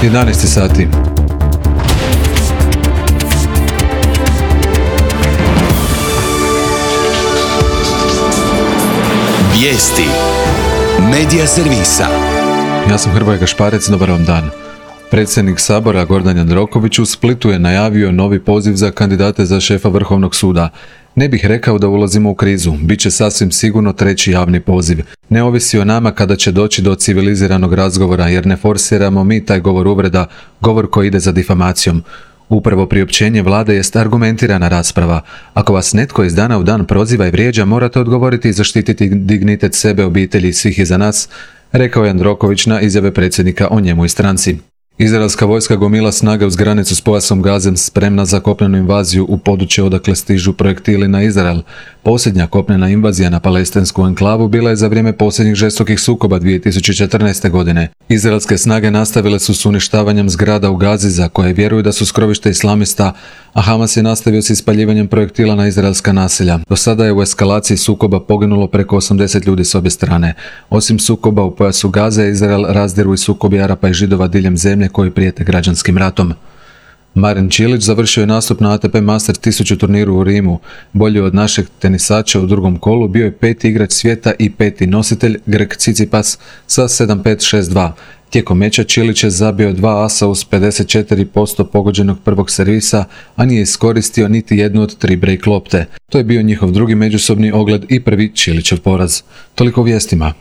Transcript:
11 sati. Vijesti Medija servisa. Ja sam Hrvoje Gašparec, dobar vam dan. Predsjednik Sabora Gordan Jandroković u Splitu je najavio novi poziv za kandidate za šefa Vrhovnog suda. Ne bih rekao da ulazimo u krizu, bit će sasvim sigurno treći javni poziv. Ne ovisi o nama kada će doći do civiliziranog razgovora, jer ne forsiramo mi taj govor uvreda, govor koji ide za difamacijom. Upravo priopćenje vlade jest argumentirana rasprava. Ako vas netko iz dana u dan proziva i vrijeđa, morate odgovoriti i zaštititi dignitet sebe, obitelji i svih iza nas, rekao je Jandroković na izjave predsjednika o njemu i stranci. Izraelska vojska gomila snage uz granicu s pojasom Gaze, spremna za kopnenu invaziju u područje odakle stižu projektili na Izrael. Posljednja kopnena invazija na palestinsku enklavu bila je za vrijeme posljednjih žestokih sukoba 2014. godine. Izraelske snage nastavile su s uništavanjem zgrada u Gazi za koje vjeruju da su skrovište islamista, a Hamas je nastavio s ispaljivanjem projektila na izraelska naselja. Do sada je u eskalaciji sukoba poginulo preko 80 ljudi s obje strane. Osim sukoba u pojasu Gaze, Izrael razdiru i sukobi Arapa i Židova diljem zemlje koji prijete građanskim ratom. Marin Čilić završio je nastup na ATP Master 1000 turniru u Rimu. Bolji od našeg tenisača u drugom kolu bio je peti igrač svijeta i peti nositelj Grek Tsitsipas sa 7-5-6-2. Tijekom meča Čilić je zabio 2 asa uz 54% pogođenog prvog servisa, a nije iskoristio niti jednu od 3 break lopte. To je bio njihov drugi međusobni ogled i prvi Čilićev poraz. Toliko o vijestima.